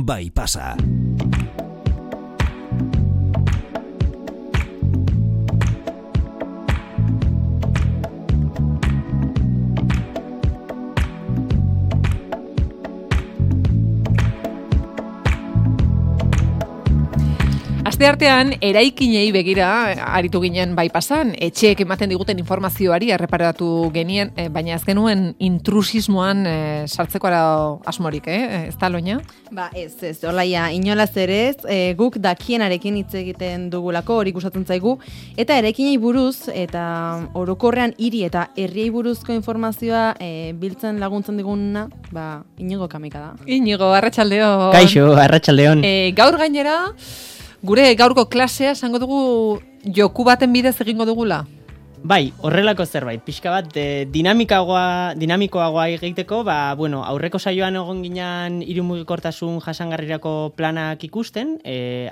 bai pasa. Asteartean eraikinei begira aritu ginen bai pasan, etxeek ematen diguten informazioari erreparatu genien, baina ez genuen intrusismoan sartzeko asmorik, ez da, Loina? Ba, ez, olaia, inolaz ere ez, guk dakienarekin hitz egiten dugulako, hori gustatzen zaigu, eta eraikinei buruz, eta orokorrean hiri eta herriei buruzko informazioa biltzen laguntzen diguna, ba, Inigo Kamika da. Inigo, arratsaldeon. Kaixo, arratsaldeon. Gaur gainera, gure gaurko klasea esango dugu joku baten bidez egingo dugula? Bai, horrelako zerbait. Pixka bat dinamikoagoa egiteko, aurreko saioan egon ginen hiru mugikortasun jasangarrirako planak ikusten,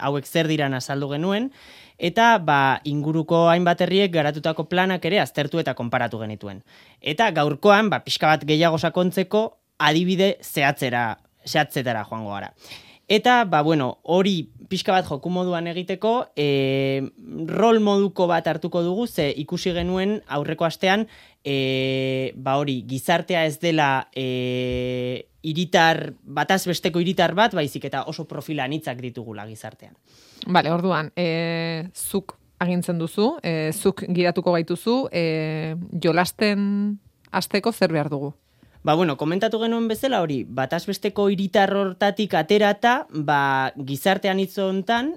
hauek zer diran azaldu genuen, eta inguruko hainbat herriek garatutako planak ere aztertu eta konparatu genituen. Eta gaurkoan, pixka bat gehiago sakontzeko adibide zehatzetara joango gara. Eta, hori pixka bat joku moduan egiteko, rol moduko bat hartuko dugu, ze ikusi genuen aurreko astean, hori gizartea ez dela bataz besteko hiritar bat, baizik eta oso profila anitzak ditugula gizartean. Bale, orduan, zuk agintzen duzu, zuk gidatuko gaituzu, jolasten hasteko zer behar dugu? Komentatu genuen bezala hori, bataz besteko hiritar hortatik aterata, gizartean hitz hontan,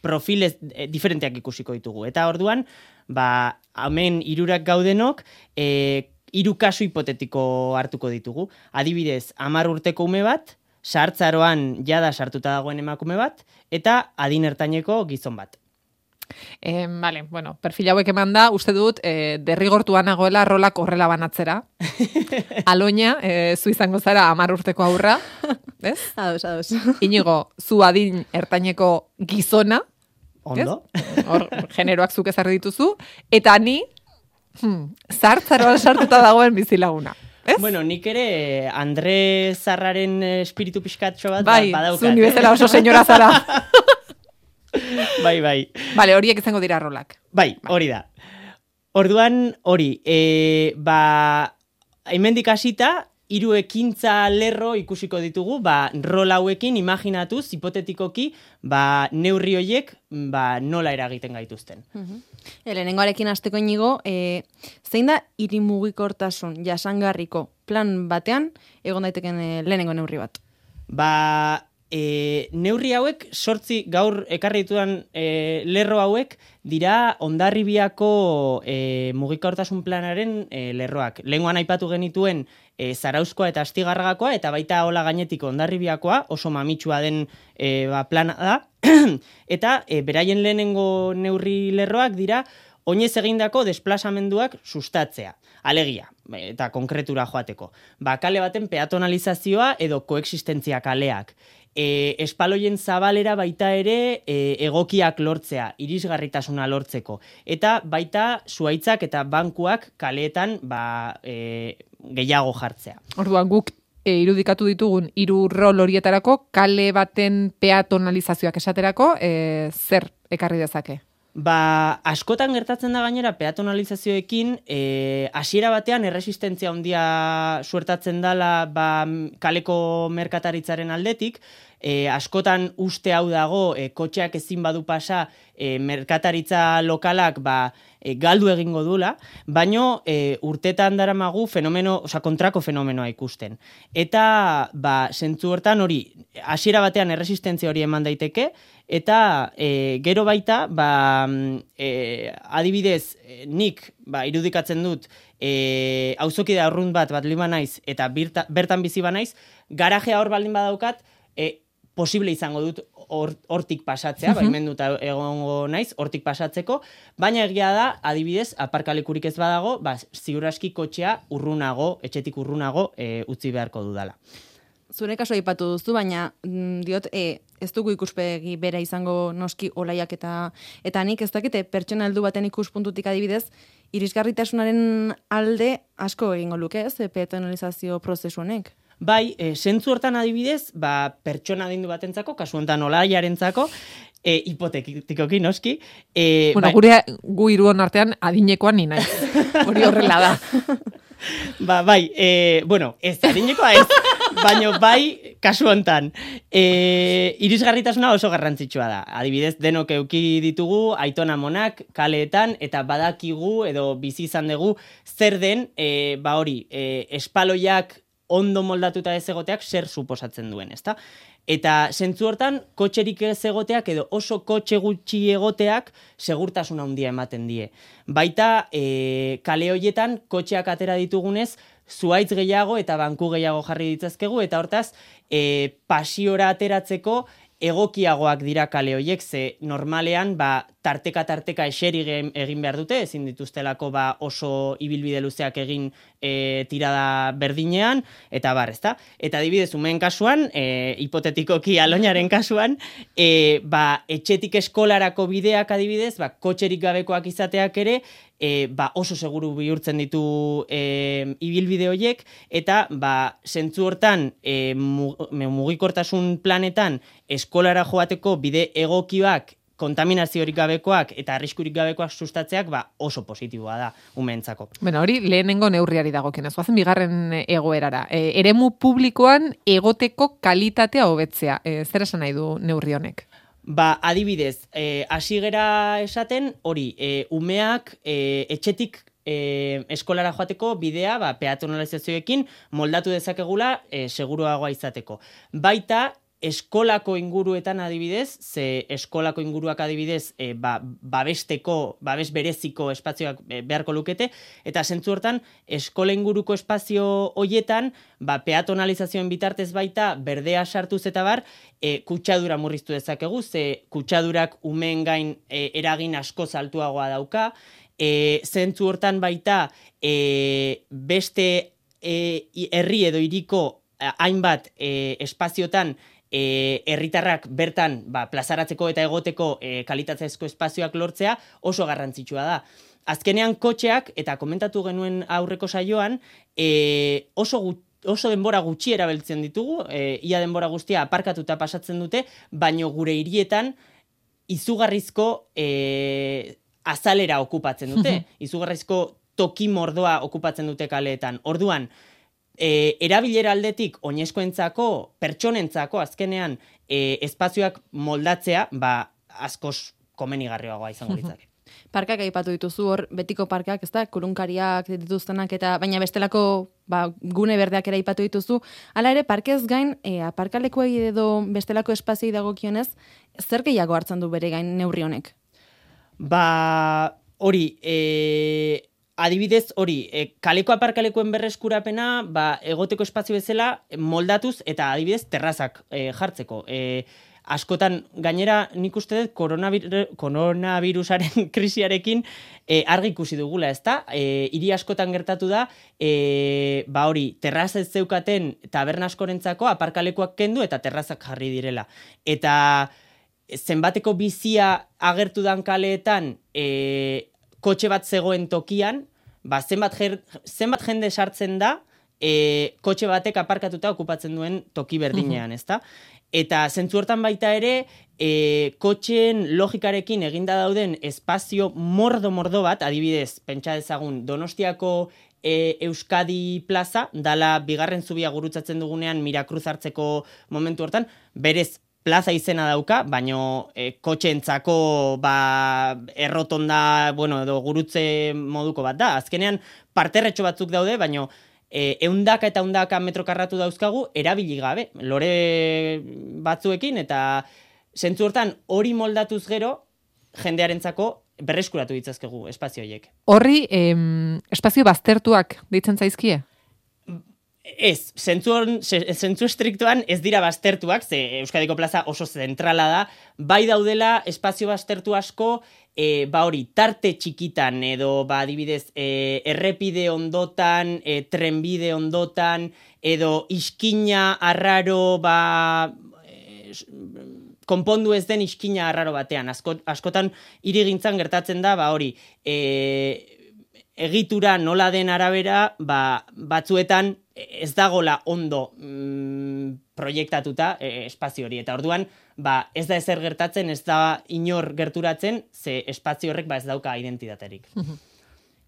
profilez diferenteak ikusiko ditugu. Eta orduan, hemen hirurak gaudenok, hiru kasu hipotetiko hartuko ditugu. Adibidez, 10 urteko ume bat, sartzaroan jada sartuta dagoen emakume bat, eta adin ertaineko gizon bat. Perfil hauek eman da, uste dut, derrigortuan nagoela rolak horrela banatzera. Aloña, zu izango zara 10 urteko aurra, ez? Ados. Inigo, zu adin ertaineko gizona. Ondo. Hor, generoak zuk ezarri dituzu. Eta ni, zartzaroan sartuta dagoen bizilaguna. Ez? Nik ere Andre Zarraren espiritu pixkatxo bat badaukat. Zu ni bezala oso senyora zara. Bai. Bale, horiek izango dira rolak. Bai, hori da. Orduan, hori, hemendik hasita, 3 ekintza lerro ikusiko ditugu, rol hauekin imaginatuz, hipotetikoki, neurri horiek, nola eragiten gaituzten. Lehenengoarekin hasteko, Inigo, zein da hiri mugikortasun jasangarriko plan batean egon daiteken lehenengo neurri bat? Neurri hauek, 8 gaur ekarri ditudan lerro hauek, dira Hondarribiako mugikortasun planaren lerroak. Lehengoan aipatu genituen Zarauzkoa eta Astigarragakoa, eta baita hola gainetik Hondarribiakoa, oso mamitsua den plana da, eta beraien lehenengo neurri lerroak dira oinez egindako desplazamenduak sustatzea. Alegia, eta konkretura joateko. Kale baten peatonalizazioa edo koexistentzia kaleak. Espaloien zabalera baita ere egokiak lortzea, irisgarritasuna lortzeko. Eta baita zuaitzak eta bankuak kaleetan gehiago jartzea. Orduan guk irudikatu ditugun 3 rol horietarako, kale baten peatonalizazioak esaterako, zer ekarri dezake? Askotan gertatzen da gainera peatonalizazioekin, hasiera batean erresistentzia handia suertatzen dela kaleko merkataritzaren aldetik, askotan uste hau dago, kotxeak ezin badu pasa, merkataritza lokalak galdu egingo dula, baino urtetan daramagu kontrako fenomenoa ikusten. Eta zentzu hortan hori, hasiera batean erresistentzia hori eman daiteke, eta gero baita, adibidez, nik irudikatzen dut, auzokide arrunt bat lima naiz, eta bertan bizi banaiz, garajea hor baldin badaukat, posible izango dut hortik pasatzea, baimenduta egongo naiz, hortik pasatzeko, baina egia da, adibidez, aparkalekurik ez badago, ziur aski kotxea etxetik urrunago utzi beharko dudala. Zure kaso aipatu duzu, baina diot, ez dugu ikuspegi bera izango noski Olaiak eta nik ez dakite pertsona heldu baten ikuspuntutik adibidez, irisgarritasunaren alde asko egingo luke, ez, peatonalizazio prozesu honek? Bai, zentzu hortan adibidez, pertsona adindu batentzako, kasu honetan Olaiarentzako, hipotetikoki noski. Bueno, gu hiruon artean adinekoan ni naiz. Hori horrela da. Bai, ez adinekoa ez, baina bai kasu hontan. Irisgarritasuna oso garrantzitsua da. Adibidez, denok eduki ditugu aitona amonak kaleetan eta badakigu edo bizi izan dugu zer den, espaloiak ondo moldatuta ez egoteak zer suposatzen duen, ezta? Eta zentzu hortan, kotxerik ez egoteak edo oso kotxe gutxi egoteak segurtasun handia ematen die. Baita, kale hoietan kotxeak atera ditugunez, zuhaitz gehiago eta banku gehiago jarri ditzazkegu, eta hortaz, pasiora ateratzeko egokiagoak dira kale hoiek, ze normalean tarteka eseri egin behar dute, ezin dituztelako oso ibilbide luzeak egin tirada berdinean, eta ezta? Eta adibidez, umeen kasuan, hipotetikoki Aloñaren kasuan, etxetik eskolarako bideak adibidez, kotxerik gabekoak izateak ere, oso seguru bihurtzen ditu ibilbide horiek, eta zentzu hortan mugikortasun planetan eskolara joateko bide egokioak, kontaminaziorik gabekoak eta arriskurik gabekoak sustatzeak oso positiboa da umeentzako. Bueno, hori lehenengo neurriari dagokionez. Goazen bigarren egoerara. Eremu publikoan egoteko kalitatea hobetzea. Zer esan nahi du neurri honek? Adibidez, hasi gera esaten, hori, umeak etxetik eskolara joateko bidea peatonalizazioekin moldatu dezakegula seguruagoa izateko. Baita, eskolako inguruetan adibidez, ze eskolako inguruak adibidez babes bereziko espazioak beharko lukete, eta zentzu hortan eskola inguruko espazio hoietan peatonalizazioen bitartez baita berdea sartuz eta kutsadura murriztu dezakegu, ze kutsadurak umeen gain eragin asko altuagoa dauka, zentzu hortan baita beste herri edo hiriko hainbat espaziotan herritarrak bertan plazaratzeko eta egoteko kalitatezko espazioak lortzea oso garrantzitsua da. Azkenean kotxeak, eta komentatu genuen aurreko saioan, oso denbora gutxi erabiltzen ditugu, ia denbora guztia aparkatuta pasatzen dute, baino gure hirietan izugarrizko azalera okupatzen dute, izugarrizko toki mordoa okupatzen dute kaleetan. Orduan, erabilera aldetik oinezkoentzako, pertsonentzako azkenean espazioak moldatzea, askoz komenigarriagoa izango litzake. Parkak aipatu dituzu hor, betiko parkak, ez da, kurunkariak dituztenak, eta baina bestelako gune berdeak ere aipatu dituzu. Hala ere, parkez gain, aparkalekuei edo bestelako espazioi dagokionez, zer gehiago hartzen du bere gain neurri honek? Hori, adibidez, kaleko aparkalekuen berreskurapena, egoteko espazio bezala moldatuz eta adibidez terrazak jartzeko. Askotan, gainera nik uste dut koronavirusaren krisiarekin argi ikusi dugula, ezta? Hiri askotan gertatu da, terraza ez zeukaten taberna askorentzako aparkalekuak kendu eta terrazak jarri direla. Eta zenbateko bizia agertu dan kaleetan kotxe bat zegoen tokian, zenbat jende sartzen da kotxe batek aparkatuta okupatzen duen toki berdinean, ezta? Eta zentzu hortan baita ere, kotxeen logikarekin eginda dauden espazio mordo bat, adibidez, pentsa dezagun, Donostiako Euskadi plaza, dala bigarren zubia gurutzatzen dugunean Mirakruz hartzeko momentu hortan, berez plaza izena dauka, baino kotxeentzako errotonda, edo gurutze moduko bat da. Azkenean parterretxo batzuk daude, baino eundaka eta eundaka metro karratu dauzkagu erabili gabe, lore batzuekin, eta zentzu hortan hori moldatuz gero jendearentzako berreskuratu ditzazkegu espazio horiek. Horri espazio baztertuak deitzen zaizkie? Ez, zentzu estriktuan ez dira baztertuak, ze Euskadiko plaza oso zentrala da, bai daudela espazio baztertu asko, tarte txikitan, edo adibidez, errepide ondotan, trenbide ondotan, edo iskina arraro, konpondu ez den iskina arraro batean. Askotan hirigintzan gertatzen da, egitura nola den arabera, batzuetan ez dagola ondo proiektatuta espazio hori. Eta orduan, ez da ezer gertatzen, ez da inor gerturatzen, ze espazio horrek ez dauka identitaterik.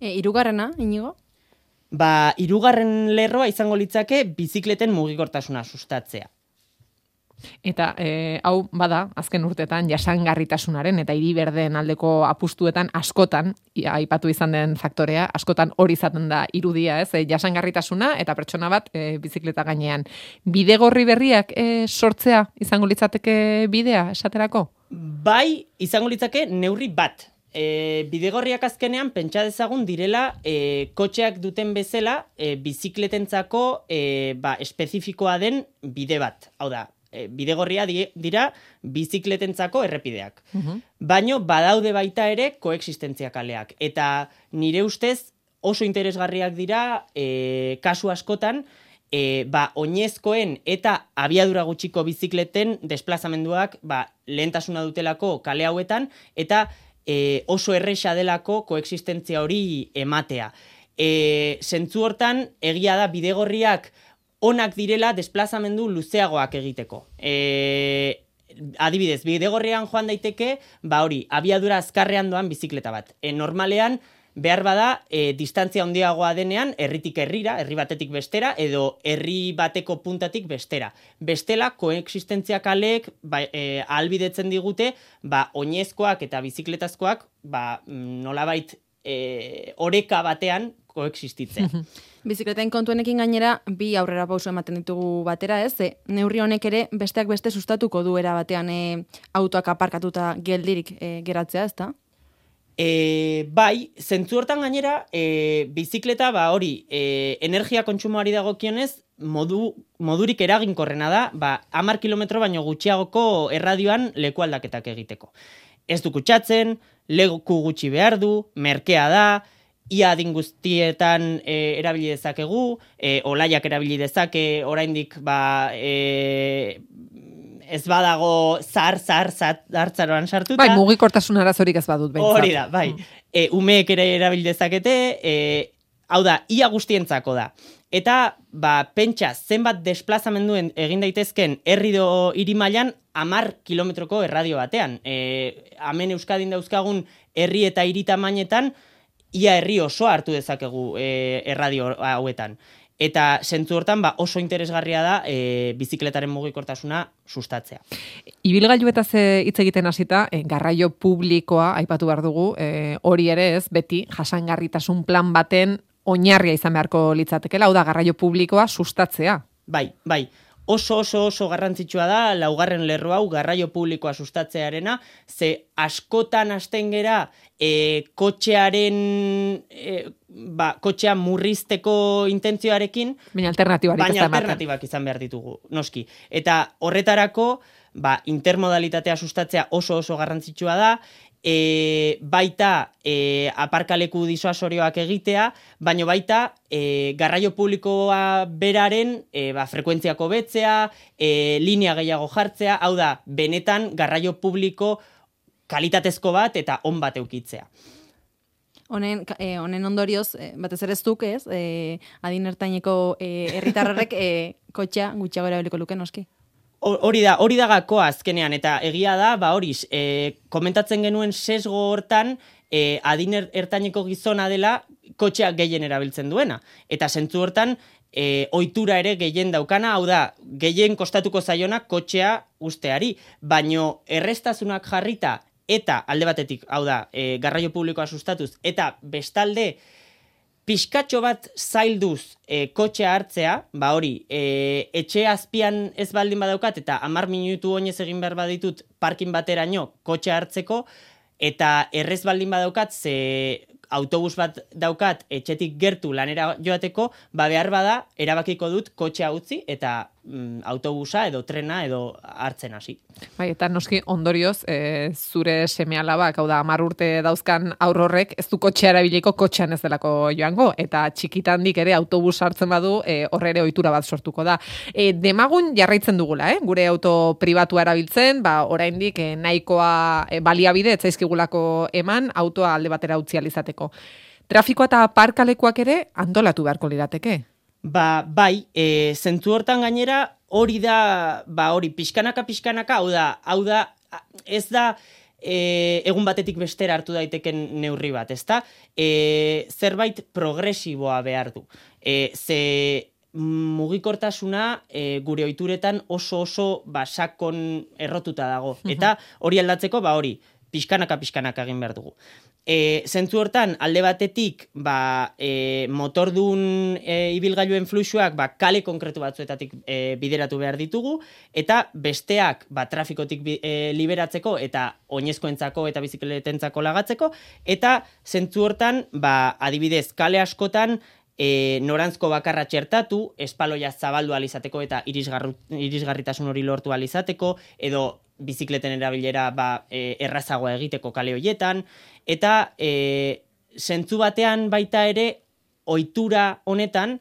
Hirugarrena, Inigo? Hirugarren lerroa izango litzake bizikleten mugikortasuna sustatzea. Eta hau bada, azken urtetan jasangarritasunaren eta hiri berdeen aldeko apustuetan askotan, aipatu izan den faktorea, askotan hori izaten da irudia, ez? Jasangarritasuna eta pertsona bat bizikleta gainean. Bidegorri berriak sortzea izango litzateke bidea, esaterako? Bai, izango litzake neurri bat. Bidegorriak azkenean pentsa dezagun direla kotxeak duten bezala bizikletentzako espezifikoa den bide bat. Hau da, bidegorria dira bizikletentzako errepideak. Baino badaude baita ere koexistentzia kaleak. Eta nire ustez oso interesgarriak dira kasu askotan oinezkoen eta abiadura gutxiko bizikleten desplazamenduak lehentasuna dutelako kale hauetan eta oso erresa delako koexistentzia hori ematea. Zentzu hortan, egia da bidegorriak onak direla desplazamendu luzeagoak egiteko. Adibidez, bidegorrian joan daiteke, abiadura azkarrean doan bizikleta bat. Normalean, behar bada, distantzia handiagoa denean, herritik herrira, herri batetik bestera, edo herri bateko puntatik bestera. Bestela, koexistentzia kaleek ahalbidetzen digute, oinezkoak eta bizikletazkoak, nolabait oreka batean koexistitzen. Bizikleten kontuenekin gainera, bi aurrera pauso ematen ditugu batera, ez? Neurri honek ere besteak beste sustatuko du era batean autoak aparkatuta geldirik geratzea, ezta? Bai, zentzu hortan gainera, bizikleta energia kontsumoari dagokionez, modurik eraginkorrena da, 10 kilometro baino gutxiagoko erradioan leku aldaketak egiteko. Ez du kutsatzen, leku gutxi behar du, merkea da, ia adin guztietan erabili dezakegu, olaiak erabili dezake, oraindik ez badago zartzaroan sartuta. Bai, mugikortasun arazorik ez badut behintzat. Hori da, bai. Umeek ere erabil dezakete, hau da, ia guztientzako da. Eta, pentsa, zenbat desplazamenduen egin daitezken herrido hiri mailan 10 kilometroko erradio batean. Hemen Euskadin dauzkagun herri eta hiri tamainetan, ia herri osoa hartu dezakegu erradio hauetan. Eta zentzu hortan oso interesgarria da bizikletaren mugikortasuna sustatzea. Ibilgailuetaz hitz egiten hasita, garraio publikoa aipatu behar dugu, hori ere ez, beti jasangarritasun plan baten oinarria izan beharko litzatekela, hau da garraio publikoa sustatzea. Bai. Oso garrantzitsua da, laugarren lerro hau garraio publikoa sustatzearena, ze askotan hasten gera kotxea murrizteko intentzioarekin, baina alternatibak izan behar ditugu, noski. Eta horretarako, intermodalitatea sustatzea oso garrantzitsua da, baita aparkaleku disuasorioak egitea, baino baita garraio publikoa beraren frekuentziako betzea, linea gehiago jartzea, hau da, benetan garraio publiko kalitatezko bat eta on bat eukitzea. Honen ondorioz, batez ere zuk ez, adin ertaineko herritarrek kotxea gutxiago erabiliko luke noski? Hori da gakoa azkenean, eta egia da, komentatzen genuen sesgo hortan, adin ertaineko gizona dela kotxea gehien erabiltzen duena. Eta zentzu hortan, ohitura ere gehien daukana, hau da, gehien kostatuko zaiona kotxea usteari. Baino errestasunak jarrita, eta alde batetik, hau da, garraio publikoa sustatuz, eta bestalde, pixkatxo bat zailduz kotxea hartzea, etxe azpian ez baldin badaukat, eta 10 minutu oinez egin behar baditut parkin bateraino kotxea hartzeko, eta errez baldin badaukat, ze autobus bat daukat etxetik gertu lanera joateko, behar bada, erabakiko dut kotxea utzi, eta autobusa edo trena edo hartzen hasi. Bai, eta noski ondorioz, zure seme-alabak, hau da, 10 urte dauzkan aurrorrek, ez du kotxea erabiliko kotxean ez delako joango, eta txikitandik ere autobus hartzen badu, horre ere ohitura bat sortuko da. Demagun jarraitzen dugula, gure auto pribatua erabiltzen, oraindik nahikoa baliabide, ez zaizkigulako eman, autoa alde batera utzi alizateko. Trafikoa eta parkalekuak ere antolatu beharko lirateke. Bai, zentzu hortan gainera, hori da, hori, pixkanaka, hau da, ez da, egun batetik bestera hartu daiteken neurri bat, ezta? Zerbait progresiboa behar du. Ze mugikortasuna gure ohituretan oso sakon errotuta dago. Eta hori aldatzeko, hori, pixkanaka egin behar dugu. Zentzu hortan, alde batetik, motordun ibilgailuen fluxuak kale konkretu batzuetatik bideratu behar ditugu, eta besteak trafikotik liberatzeko eta oinezkoentzako eta bizikletentzako lagatzeko, eta zentzu hortan, adibidez, kale askotan, norantzko bakarra txertatu, espaloia zabaldu alizateko eta irisgarritasun hori lortu alizateko, edo bizikleten erabilera errazagoa egiteko kale horietan, eta zentzu batean baita ere ohitura honetan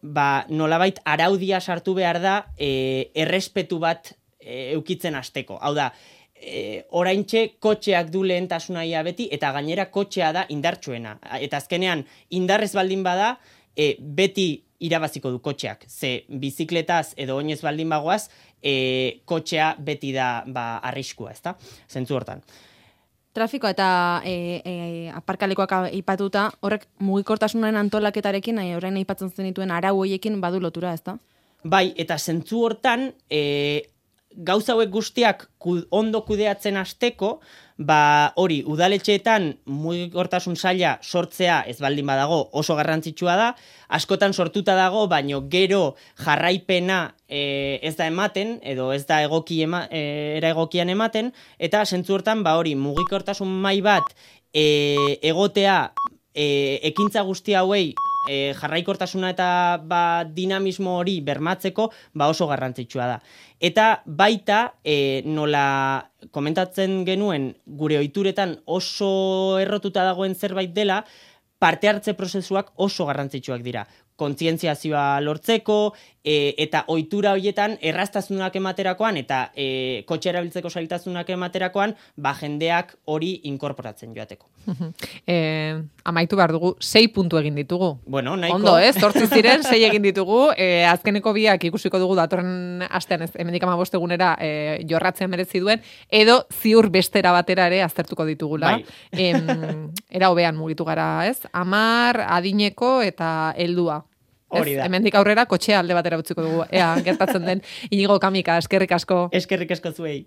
nolabait araudia sartu behar da errespetu bat eukitzen hasteko. Hau da, oraintxe kotxeak du lehentasuna ia beti, eta gainera kotxea da indartsuena. Eta azkenean, indarrez baldin bada, beti irabaziko du kotxeak. Ze bizikletaz edo oinez baldin bagoaz, kotxea beti da arriskua, ezta? Zentzu hortan. Trafikoa eta aparkalekoak aipatuta, horrek mugikortasunaren antolaketarekin, orain aipatzen zenituen arau horiekin badu lotura, ezta? Bai, eta zentzu hortan, gauza hauek guztiak ondo kudeatzen hasteko, hori, udaletxeetan mugikortasun saila sortzea ez baldin badago oso garrantzitsua da, askotan sortuta dago, baino gero jarraipena ez da ematen, edo ez da era egokian ematen, eta zentzu hortan, hori, mugikortasun mahai bat egotea ekintza guzti hauei jarraikortasuna eta dinamismo hori bermatzeko oso garrantzitsua da. Eta baita, nola komentatzen genuen gure ohituretan oso errotuta dagoen zerbait dela, parte hartze prozesuak oso garrantzitsuak dira. Kontzientziazioa lortzeko, eta ohitura horietan erraztasunak ematerakoan, eta kotxe erabiltzeko zailtasunak ematerakoan, jendeak hori inkorporatzen joateko. Amaitu behar dugu, 6 puntu egin ditugu. Bueno, nahiko. Ondo, 8 ziren, 6 egin ditugu. Azkeneko biak ikusiko dugu datorren astean, hemendik 15 egunera jorratzea merezi duen, edo ziur bestera batera ere aztertuko ditugula. Era hobean mugitu gara, ez? 10 adineko eta heldua. Hori da. Hemendik aurrera kotxea alde batera utziko dugu. Ea, gertatzen den. Inigo Kamika, eskerrik asko. Eskerrik asko zuei.